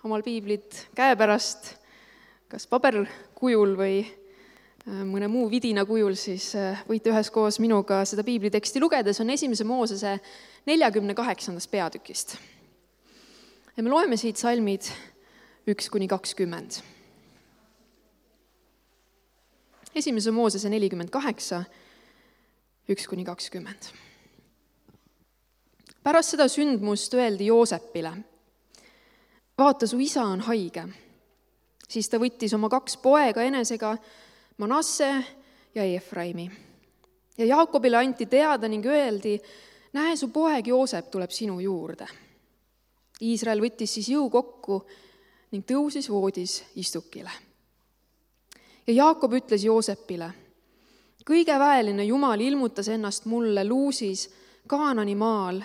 omal piiblit käepärast, kas paberkujul või mõne muu vidina kujul, siis võite üheskoos minuga seda piibliteksti lugeda. See on 1. Moosese 48. peatükist. Ja me loeme siit salmid 1-20. 1. Moosese 48, 1-20. Pärast seda sündmust öeldi Joosepile: vaata, su isa on haige. Siis ta võttis oma 2 poega enesega, Manasse ja Efraimi. Ja Jaakobile anti teada ning öeldi: näe, su poeg Joosep tuleb sinu juurde. Iisrael võttis siis jõu kokku ning tõusis voodis istukile. Ja Jaakob ütles Joosepile: kõige väeline Jumal ilmutas ennast mulle Luusis Kaanani maal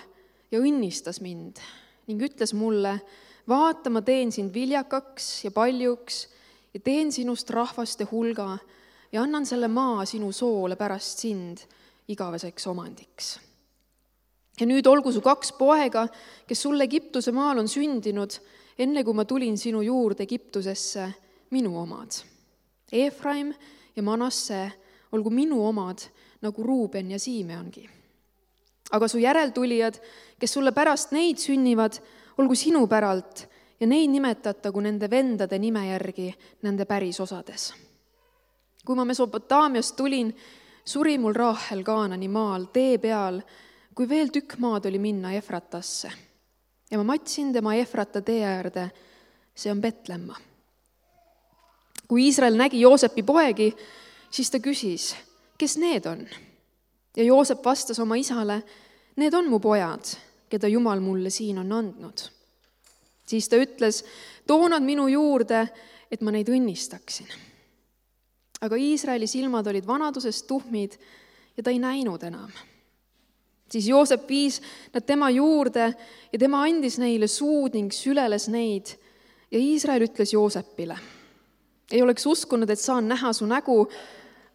ja õnnistas mind ning ütles mulle: vaata, ma teen sind viljakaks ja paljuks ja teen sinust rahvaste hulga ja annan selle maa sinu soole pärast sind igaveseks omandiks. Ja nüüd olgu su 2 poega, kes sulle Egiptuse maal on sündinud, enne kui ma tulin sinu juurde Egiptusesse, minu omad. Efraim ja Manasse olgu minu omad, nagu Ruuben ja Siimeongi. Aga su järeltulijad, kes sulle pärast neid sünnivad, olgu sinu päralt ja neid nimetatagu nende vendade nime järgi nende pärisosades. Kui ma Mesopotaamiast tulin, suri mul Raahel Kaanani maal tee peal, kui veel tükk maad oli minna Efratasse. Ja ma matsin tema Efrata tee äärde, see on Betlemma. Kui Iisrael nägi Joosepi poegi, siis ta küsis: kes need on? Ja Joosep vastas oma isale: need on mu pojad, keda Jumal mulle siin on andnud. Siis ta ütles: too nad minu juurde, et ma neid õnnistaksin. Aga Iisraeli silmad olid vanadusest tuhmid ja ta ei näinud enam. Siis Joosep viis nad tema juurde ja tema andis neile suud ning süleles neid. Ja Iisrael ütles Joosepile: ei oleks uskunud, et saan näha su nägu,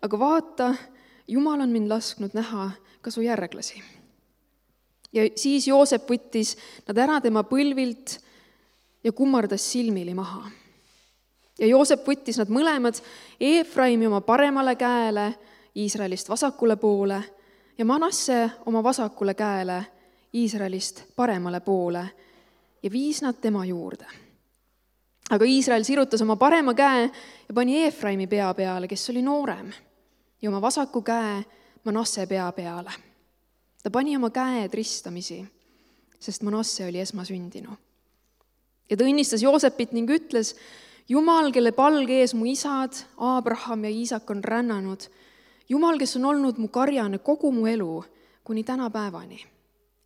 aga vaata, Jumal on mind lasknud näha ka su järglasi. Ja siis Joosep võttis nad ära tema põlvilt ja kummardas silmili maha. Ja Joosep võttis nad mõlemad, Efraimi oma paremale käele, Iisraelist vasakule poole, ja Manasse oma vasakule käele, Iisraelist paremale poole, ja viis nad tema juurde. Aga Iisrael sirutas oma parema käe ja pani Efraimi pea peale, kes oli noorem, ja oma vasaku käe Manasse pea peale. Ta pani oma käed ristamisi, sest Manasse oli esmasündinu. Ja ta õnnistas Joosepit ning ütles: Jumal, kelle palge ees mu isad, Abraham ja Iisak on rännanud, Jumal, kes on olnud mu karjane kogu mu elu kuni tänapäevani.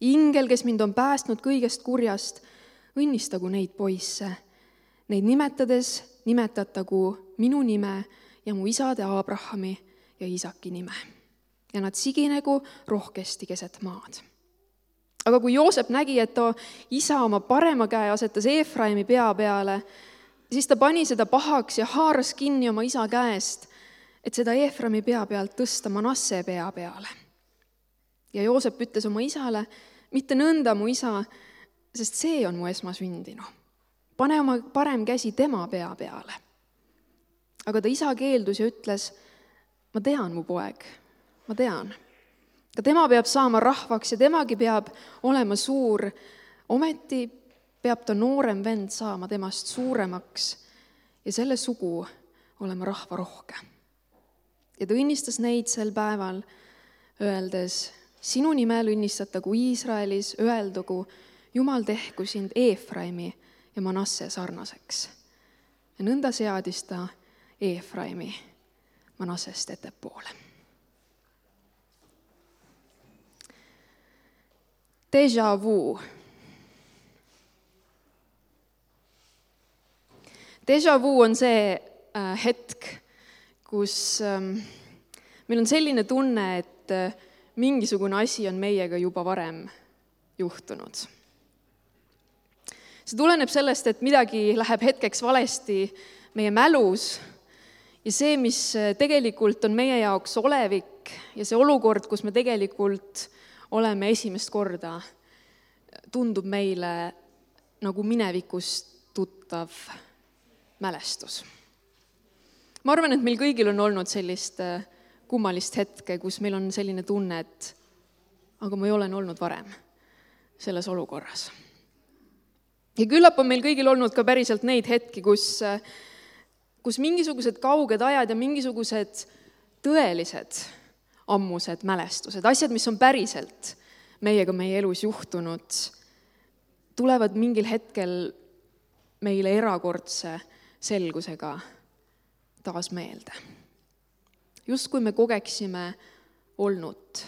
Ingel, kes mind on päästnud kõigest kurjast, õnnistagu neid poisse. Neid nimetades nimetatagu minu nime ja mu isade Abrahami ja Iisaki nime. Ja nad siginegu rohkesti keset maad. Aga kui Joosep nägi, et ta isa oma parema käe asetas Efraimi pea peale, siis ta pani seda pahaks ja haaras kinni oma isa käest, et seda Efraimi pea pealt tõsta Manasse pea peale. Ja Joosep ütles oma isale: mitte nõnda, mu isa, sest see on mu esmasündinu. Pane oma parem käsi tema pea peale. Aga ta isa keeldus ja ütles: ma tean, mu poeg, ma tean. Ka tema peab saama rahvaks ja temagi peab olema suur. Ometi peab ta noorem vend saama temast suuremaks ja selle sugu olema rahvarohke. Ja ta õnnistas neid sel päeval, öeldes: sinu nimel õnnistatagu Iisraelis, öeldugu: Jumal tehku sind Efraimi ja Manasse sarnaseks. Ja nõnda seadis ta Efraimi Manassest ettepoole. Déjà vu. Déjà vu on see hetk, kus meil on selline tunne, et mingisugune asi on meiega juba varem juhtunud. See tuleneb sellest, et midagi läheb hetkeks valesti meie mälus ja see, mis tegelikult on meie jaoks olevik ja see olukord, kus me tegelikult oleme esimest korda, tundub meile nagu minevikust tuttav mälestus. Ma arvan, et meil kõigil on olnud sellist kummalist hetke, kus meil on selline tunne, et aga ma ei olen olnud varem selles olukorras. Ja küllap on meil kõigil olnud ka päriselt neid hetki, kus mingisugused kauged ajad ja mingisugused tõelised ammused mälestused, asjad, mis on päriselt meiega meie elus juhtunud, tulevad mingil hetkel meile erakordse selgusega taas meelde. Justkui me kogeksime olnud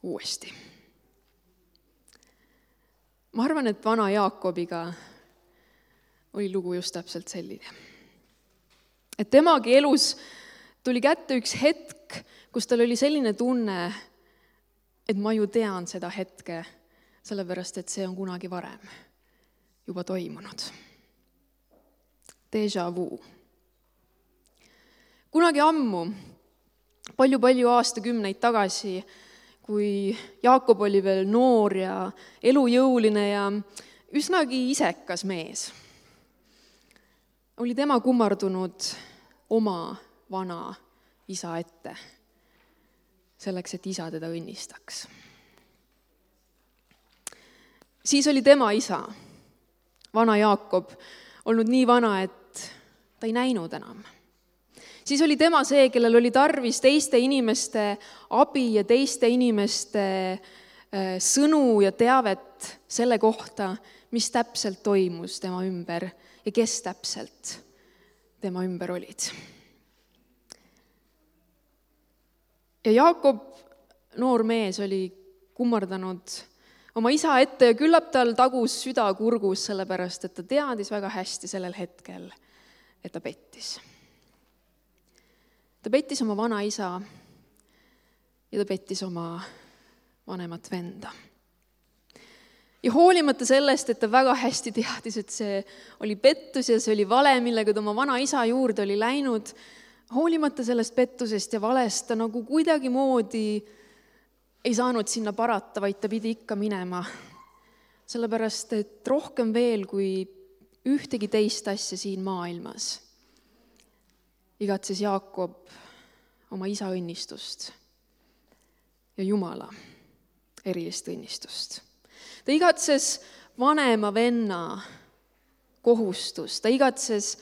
uuesti. Ma arvan, et vana Jaakobiga oli lugu just täpselt selline. Et temagi elus tuli kätte üks hetk, kus tal oli selline tunne, et ma ju tean seda hetke, sellepärast et see on kunagi varem juba toimunud. Déjà vu. Kunagi ammu, palju aastakümneid tagasi, kui Jaakob oli veel noor ja elujõuline ja üsnagi isekas mees, oli tema kummardunud oma vana isa ette, selleks, et isa teda õnnistaks. Siis oli tema isa, vana Jaakob, olnud nii vana, et ta ei näinud enam. Siis oli tema see, kellel oli tarvis teiste inimeste abi ja teiste inimeste sõnu ja teavet selle kohta, mis täpselt toimus tema ümber ja kes täpselt tema ümber olid. Ja Jaakob, noor mees, oli kummardanud oma isa ette ja küllap tal tagus süda kurgus, sellepärast et ta teadis väga hästi sellel hetkel, et ta pettis. Ta pettis oma vana isa ja ta pettis oma vanemat venda. Ja hoolimata sellest, et ta väga hästi teadis, et see oli pettus ja see oli vale, millega ta oma vana isa juurde oli läinud, hoolimata sellest pettusest ja valest ta nagu kuidagi moodi ei saanud sinna parata, vaid ta pidi ikka minema. Sellepärast, et rohkem veel kui ühtegi teist asja siin maailmas igatses Jaakob oma isa õnnistust ja Jumala erilist õnnistust. Ta igatses vanema venna kohustust, ta igatses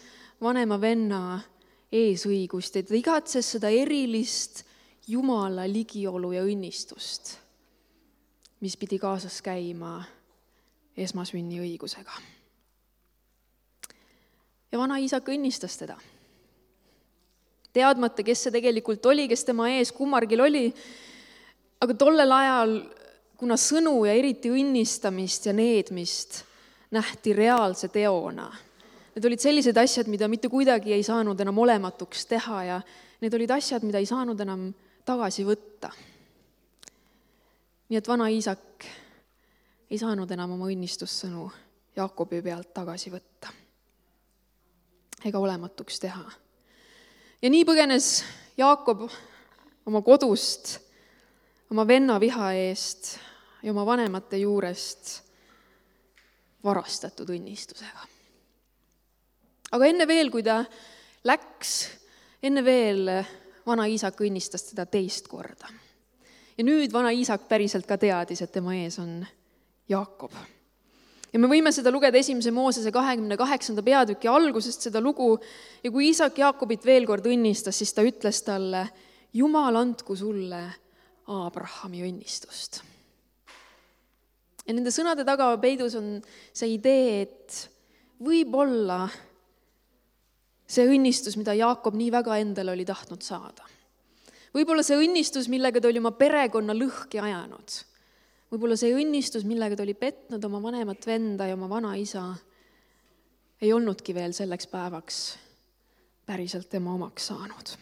vanema venna eesõigust ja ta igatses seda erilist Jumala ligiolu ja õnnistust, mis pidi kaasas käima esmasünni õigusega. Ja vana isak õnnistas teda. Teadmata, kes see tegelikult oli, kes tema ees kummargil oli, aga tollel ajal, kuna sõnu ja eriti õnnistamist ja needmist nähti reaalse teona, need olid sellised asjad, mida mitte kuidagi ei saanud enam olematuks teha ja need olid asjad, mida ei saanud enam tagasi võtta. Nii et vana isak ei saanud enam oma õnnistussõnu Jaakobi pealt tagasi võtta ega olematuks teha. Ja nii põgenes Jaakob oma kodust, oma venna viha eest ja oma vanemate juurest varastatud õnnistusega. Aga enne veel, kui ta läks, enne veel vana isak õnnistas teda teist korda. Ja nüüd vana isak päriselt ka teadis, et tema ees on Jaakob. Ja me võime seda lugeda 1. Moosese 28. peatüki algusest seda lugu ja kui isak Jaakobit veel kord õnnistas, siis ta ütles talle, Jumal andku sulle Abrahami õnnistust. Ja nende sõnade taga peidus on see idee, et võib-olla see õnnistus, mida Jaakob nii väga endale oli tahtnud saada. Võib-olla see õnnistus, millega ta oli oma perekonna lõhki ajanud. Võib-olla see õnnistus, millega ta oli petnud oma vanemat venda ja oma vana isa, ei olnudki veel selleks päevaks päriselt tema omaks saanud.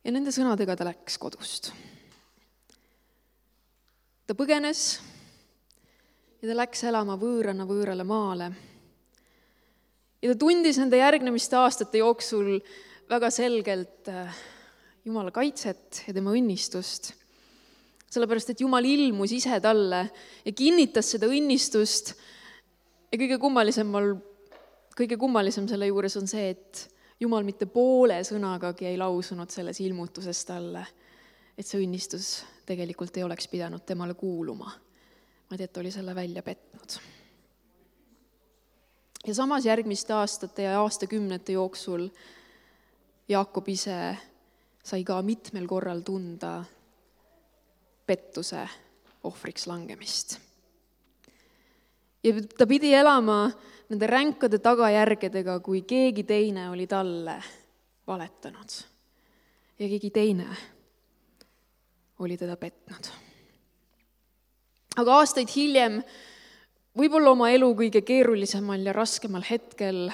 Ja nende sõnadega ta läks kodust. Ta põgenes ja ta läks elama võõrale maale. Ja ta tundis nende järgnemiste aastate jooksul väga selgelt Jumala kaitset ja tema õnnistust. Sellepärast, et Jumal ilmus ise talle ja kinnitas seda õnnistust Ja kõige kummalisem selle juures on see, et Jumal mitte poole sõnagagi ei lausunud selles ilmutuses talle, et see õnnistus tegelikult ei oleks pidanud temale kuuluma, vaid et oli selle välja petnud. Ja samas järgmiste aastate ja aastakümnete jooksul Jaakob ise sai ka mitmel korral tunda pettuse ohvriks langemist. Ja ta pidi elama nende ränkade tagajärgedega, kui keegi teine oli talle valetanud ja keegi teine oli teda petnud. Aga aastaid hiljem, võib-olla oma elu kõige keerulisemal ja raskemal hetkel,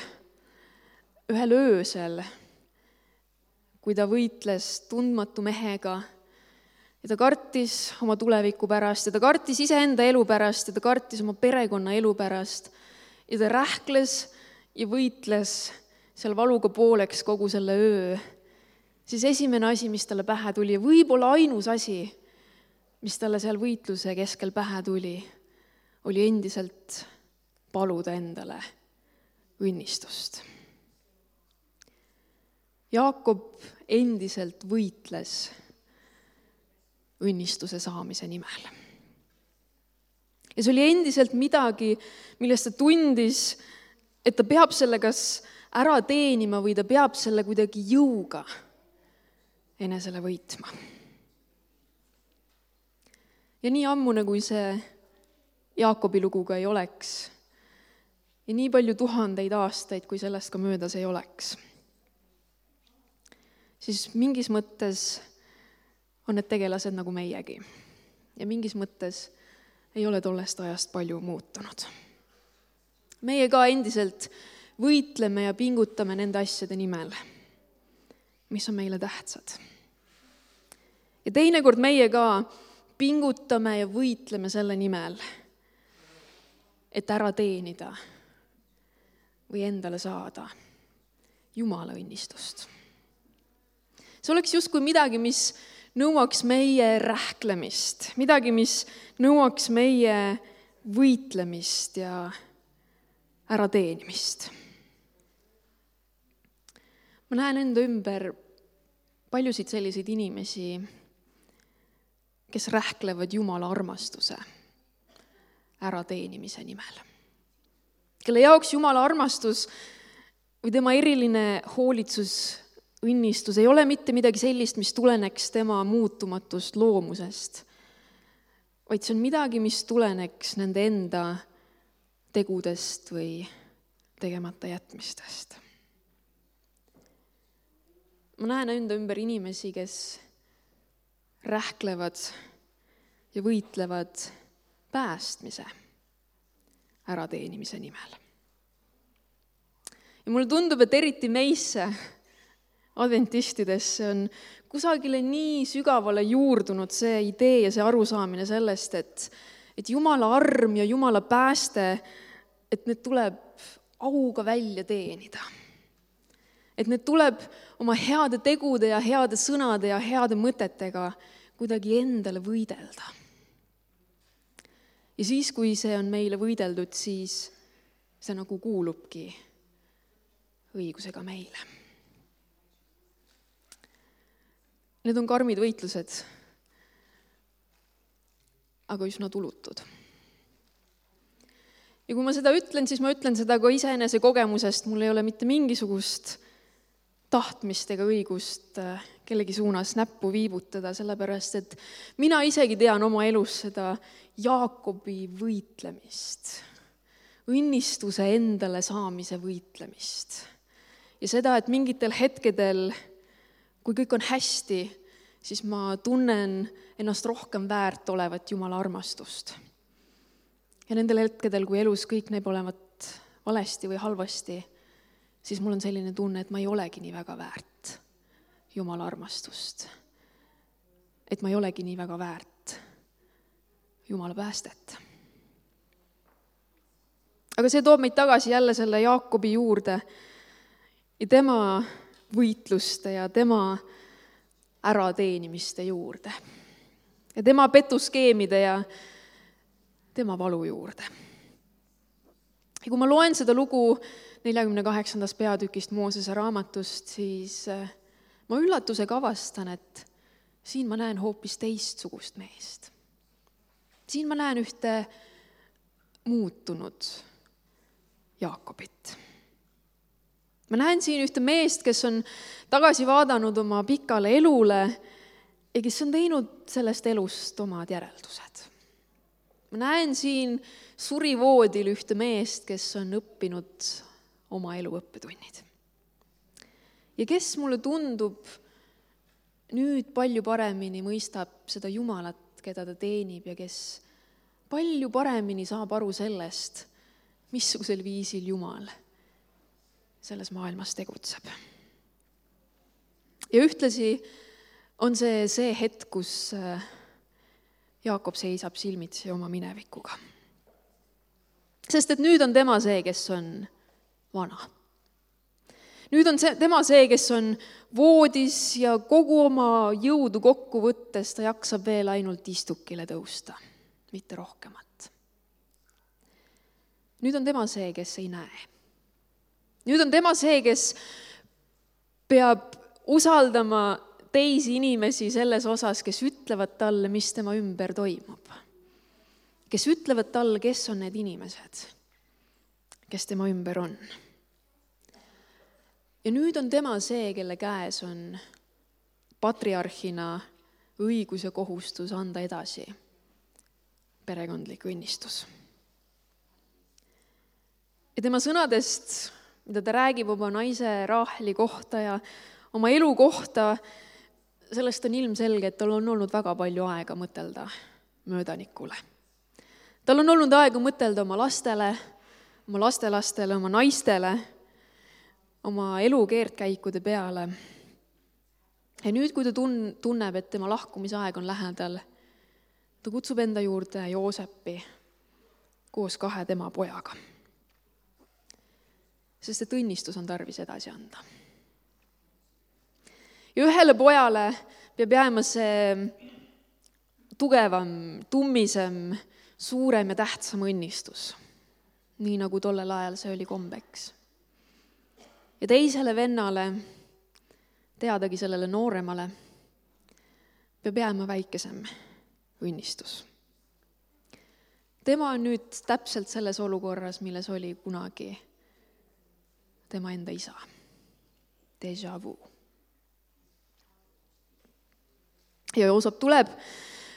ühel öösel, kui ta võitles tundmatu mehega ja ta kartis oma tuleviku pärast ja ta kartis iseenda elu pärast ja ta kartis oma perekonna elu pärast ja ta rähkles ja võitles seal valuga pooleks kogu selle öö, siis esimene asi, mis talle pähe tuli, ja võib-olla ainus asi, mis talle seal võitluse keskel pähe tuli, oli endiselt paluda endale õnnistust. Jaakob endiselt võitles õnnistuse saamise nimel. Ja see oli endiselt midagi, millest ta tundis, et ta peab selle kas ära teenima või ta peab selle kuidagi jõuga enesele võitma. Ja nii ammune, kui see Jaakobi luguga ei oleks ja nii palju tuhandeid aastaid, kui sellest ka möödas ei oleks, siis mingis mõttes on need tegelased nagu meiegi. Ja mingis mõttes ei ole tollest ajast palju muutunud. Meie ka endiselt võitleme ja pingutame nende asjade nimel, mis on meile tähtsad. Ja teinekord meie ka pingutame ja võitleme selle nimel, et ära teenida või endale saada Jumala õnnistust. See oleks justkui midagi, mis nõuaks meie rähklemist, midagi, mis nõuaks meie võitlemist ja ärateenimist. Ma näen enda ümber paljusid selliseid inimesi, kes rähklevad Jumala armastuse ärateenimise nimel. Kelle jaoks Jumala armastus või tema eriline hoolitsus, õnnistus ei ole mitte midagi sellist, mis tuleneks tema muutumatust loomusest, vaid see on midagi, mis tuleneks nende enda tegudest või tegemata jätmistest. Ma näen enda ümber inimesi, kes rähklevad ja võitlevad päästmise ärateenimise nimel. Ja mulle tundub, et eriti meisse adventistidesse on kusagile nii sügavale juurdunud see idee ja see arusaamine sellest, et Jumala arm ja Jumala pääste, et need tuleb auga välja teenida. Et need tuleb oma heade tegude ja heade sõnade ja heade mõtetega kuidagi endale võidelda. Ja siis, kui see on meile võideldud, siis see nagu kuulubki õigusega meile. Need on karmid võitlused, aga üsna tulutud. Ja kui ma seda ütlen, siis ma ütlen seda ka iseenese kogemusest, mul ei ole mitte mingisugust tahtmist ega õigust kellegi suunas näppu viibutada, sellepärast et mina isegi tean oma elus seda Jaakobi võitlemist, õnnistuse endale saamise võitlemist. Ja seda, et mingitel hetkedel, kui kõik on hästi, siis ma tunnen ennast rohkem väärt olevat Jumala armastust. Ja nendel hetkedel, kui elus kõik näib olevat valesti või halvasti, siis mul on selline tunne, et ma ei olegi nii väga väärt Jumala armastust. Et ma ei olegi nii väga väärt Jumala päästet. Aga see toob meid tagasi jälle selle Jaakobi juurde ja tema võitluste ja tema ärateenimiste juurde. Ja tema petuskeemide ja tema valu juurde. Ja kui ma loen seda lugu 48. peatükist Moosese raamatust, siis ma üllatusega avastan, et siin ma näen hoopis teistsugust meest. Siin ma näen ühte muutunud Jaakobit. Ma näen siin ühte meest, kes on tagasi vaadanud oma pikale elule ja kes on teinud sellest elust omad järeldused. Ma näen siin surivoodil ühte meest, kes on õppinud oma elu õppetunnid. Ja kes mulle tundub nüüd palju paremini mõistab seda Jumalat, keda ta teenib ja kes palju paremini saab aru sellest, missugusel viisil Jumal selles maailmas tegutseb. Ja ühtlasi on see hetk, kus Jaakob seisab silmitsi oma minevikuga. Sest et nüüd on tema see, kes on vana. Nüüd on tema see, kes on voodis ja kogu oma jõudu kokku võttes ta jaksab veel ainult istukile tõusta, mitte rohkemat. Nüüd on tema see, kes ei näe. Nüüd on tema see, kes peab usaldama teisi inimesi selles osas, kes ütlevad talle, mis tema ümber toimub. Kes ütlevad talle, kes on need inimesed, kes tema ümber on. Ja nüüd on tema see, kelle käes on patriarhina õigus ja kohustus anda edasi perekondlik õnnistus. Ja tema sõnadest, mida ta räägib oma naise Raaheli kohta ja oma elu kohta, sellest on ilmselge, et tal on olnud väga palju aega mõtelda möödanikule. Tal on olnud aega mõtelda oma lastele, oma lastelastele, oma naistele, oma elu keerdkäikude peale. Ja nüüd, kui ta tunneb, et tema lahkumisaeg on lähedal, ta kutsub enda juurde Joosepi koos 2 tema pojaga. Sest et õnnistus on tarvis edasi anda. Ja ühele pojale peab jääma see tugevam, tummisem, suurem ja tähtsam õnnistus, nii nagu tollel ajal see oli kombeks. Ja teisele vennale, teadagi sellele nooremale, peab jääma väikesem õnnistus. Tema on nüüd täpselt selles olukorras, milles oli kunagi tema enda isa. Déjà vu. Ja Joosep tuleb,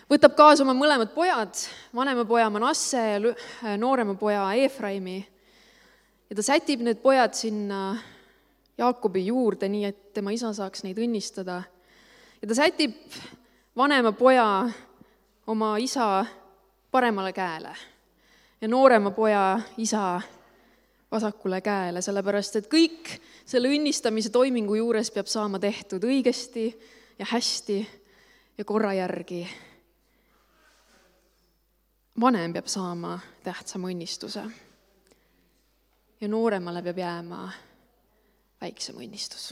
võtab kaasa oma mõlemad pojad, vanema poja Manasse ja noorema poja Efraimi. Ja ta sätib need pojad sinna Jaakobi juurde, nii et tema isa saaks neid õnnistada. Ja ta sätib vanema poja oma isa paremale käele ja noorema poja isa vasakule käele, sellepärast et kõik selle õnnistamise toimingu juures peab saama tehtud õigesti ja hästi ja korra järgi. Vanem peab saama tähtsama õnnistuse ja nooremale peab jääma väiksem õnnistus.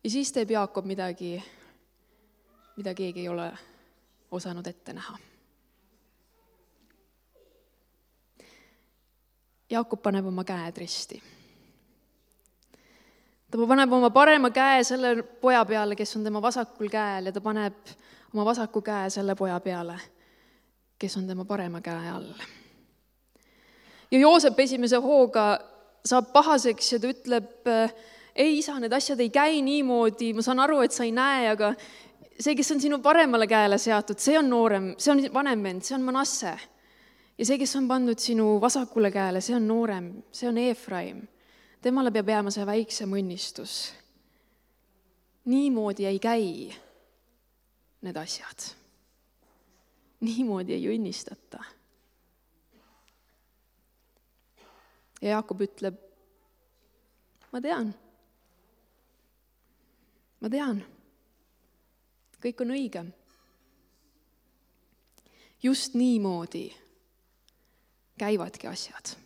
Ja siis teeb Jaakob midagi, mida keegi ei ole osanud ette näha. Jaakob paneb oma käed risti. Ta paneb oma parema käe selle poja peale, kes on tema vasakul käel, ja ta paneb oma vasaku käe selle poja peale, kes on tema parema käe all. Ja Joosep esimese hooga saab pahaseks ja ta ütleb, ei isa, need asjad ei käi niimoodi, ma saan aru, et sa ei näe, aga see, kes on sinu paremale käele seatud, see on noorem, see on vanem vend, see on Manasse. Ja see, kes on pandud sinu vasakule käele, see on noorem, see on Efraim. Temale peab jääma see väiksem õnnistus. Niimoodi ei käi need asjad. Niimoodi ei õnnistata. Ja Jaakob ütleb, ma tean. Kõik on õige. Just niimoodi käivadki asjad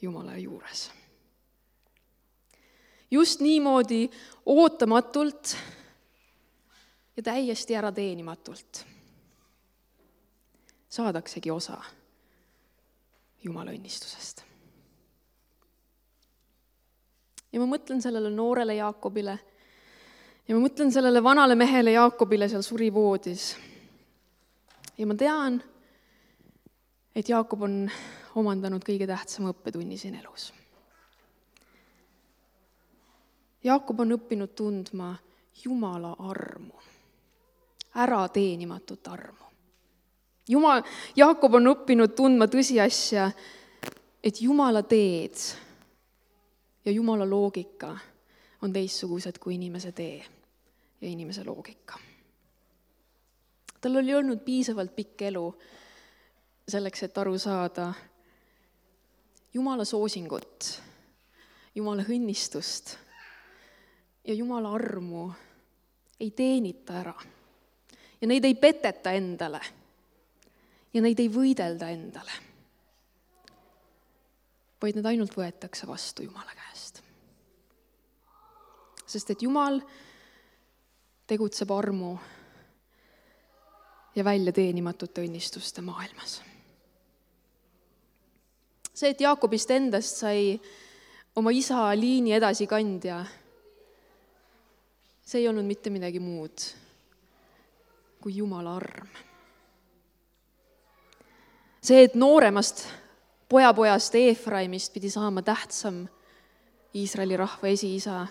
Jumala juures. Just niimoodi ootamatult ja täiesti ära teenimatult. saadaksegi osa Jumala õnnistusest. Ja ma mõtlen sellele noorele Jaakobile ja ma mõtlen sellele vanale mehele Jaakobile seal surivoodis. Ja ma tean, et Jaakob on omandanud kõige tähtsama õppetunni siin elus. Jaakob on õppinud tundma Jumala armu, ärateenimatut armu. Jaakob on õppinud tundma tõsiasja, et Jumala teed ja Jumala loogika on teistsugused kui inimese tee ja inimese loogika. Tal oli olnud piisavalt pikk elu selleks, et aru saada Jumala soosingut, Jumala õnnistust ja Jumala armu ei teenita ära. Ja neid ei peteta endale. Ja neid ei võidelda endale. Vaid need ainult võetakse vastu Jumala käest. Sest et Jumal tegutseb armu ja välja teenimatute õnnistuste maailmas. See, et Jaakobist endast sai oma isa liini edasikandja, see ei olnud mitte midagi muud kui Jumala arm. See, et nooremast pojast Efraimist pidi saama tähtsam Iisraeli rahva esiisa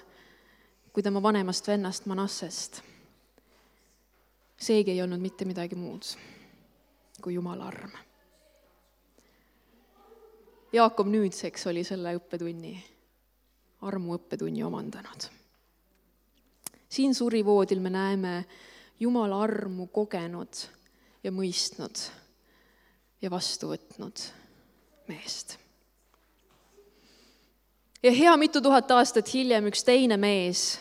kui tema vanemast vennast Manassest, seegi ei olnud mitte midagi muud kui Jumala arm. Jaakob nüüdseks oli selle armu õppetunni omandanud. Siin surivoodil me näeme Jumala armu kogenud ja mõistnud ja vastu võtnud meest. Ja hea mitu tuhat aastat hiljem üks teine mees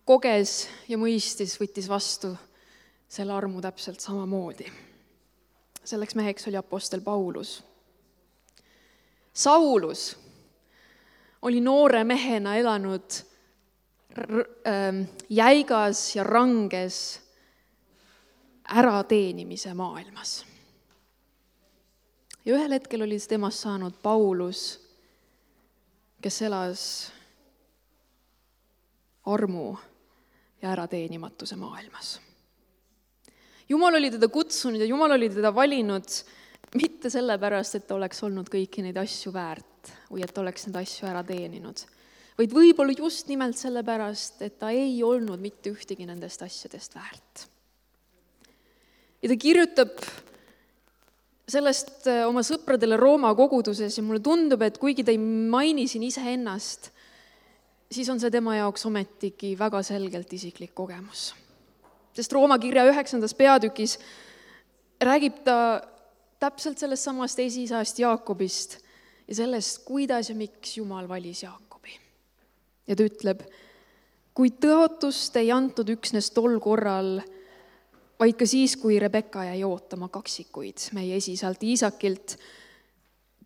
koges ja mõistis, võttis vastu selle armu täpselt samamoodi. Selleks meheks oli apostel Paulus. Saulus oli noore mehena elanud jäigas ja ranges ärateenimise maailmas. Ja ühel hetkel oli temast saanud Paulus, kes elas armu ja ärateenimatuse maailmas. Jumal oli teda kutsunud ja Jumal oli teda valinud mitte sellepärast, et ta oleks olnud kõiki neid asju väärt või et ta oleks neid asju ära teeninud, vaid võib-olla just nimelt sellepärast, et ta ei olnud mitte ühtegi nendest asjadest väärt. Ja ta kirjutab sellest oma sõpradele Rooma koguduses ja mulle tundub, et kuigi ta ei maini siin iseennast, siis on see tema jaoks ometigi väga selgelt isiklik kogemus. Sest Rooma kirja 9. peatükis räägib ta täpselt sellest samast esiisast Jaakobist ja sellest, kuidas ja miks Jumal valis Jaakobi. Ja ta ütleb, kui tõotust ei antud üksnes tol korral, vaid ka siis, kui Rebekka jäi ootama kaksikuid meie esisalt Iisakilt,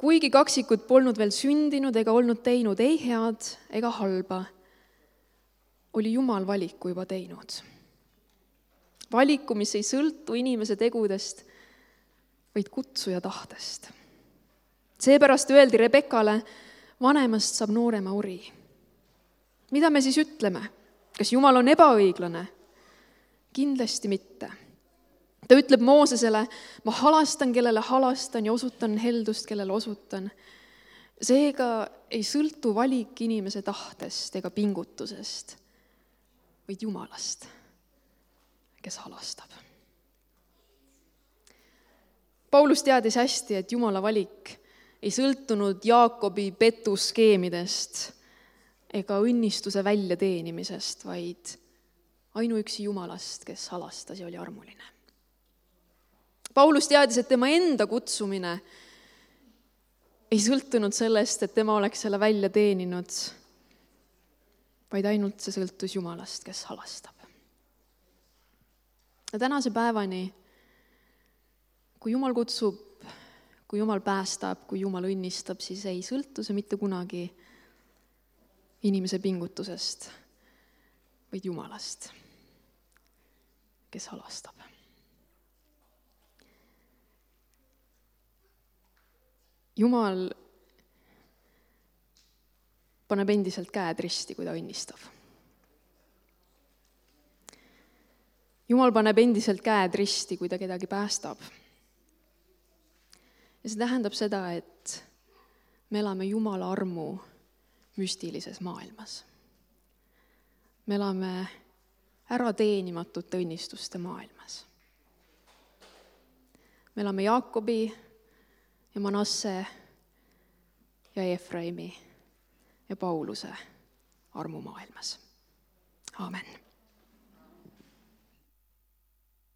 kuigi kaksikud polnud veel sündinud ega olnud teinud ei head ega halba, oli Jumal valiku juba teinud. Valiku, mis ei sõltu inimese tegudest, vaid kutsuja tahtest. Seepärast öeldi Rebekale, vanemast saab noorema ori. Mida me siis ütleme? Kas Jumal on ebaõiglane? Kindlasti mitte. Ta ütleb Moosesele, ma halastan, kellele halastan ja osutan heldust, kellele osutan. Seega ei sõltu valik inimese tahtest ega pingutusest, vaid Jumalast, kes halastab. Paulus teadis hästi, et Jumala valik ei sõltunud Jaakobi petuskeemidest ega õnnistuse väljateenimisest, vaid ainuüksi Jumalast, kes halastas ja oli armuline. Paulus teadis, et tema enda kutsumine ei sõltunud sellest, et tema oleks selle välja teeninud, vaid ainult see sõltus Jumalast, kes halastab. Ja tänase päevani, kui Jumal kutsub, kui Jumal päästab, kui Jumal õnnistab, siis ei sõltu see mitte kunagi inimese pingutusest, vaid Jumalast, kes halastab. Jumal paneb endiselt käed risti, kui ta õnnistab. Jumal paneb endiselt käed risti, kui ta kedagi päästab. Ja see tähendab seda, et me elame Jumala armu müstilises maailmas. Me elame ärateenimatute õnnistuste maailmas. Me elame Jaakobi ja Manasse ja Efraimi ja Pauluse armumaailmas. Aamen.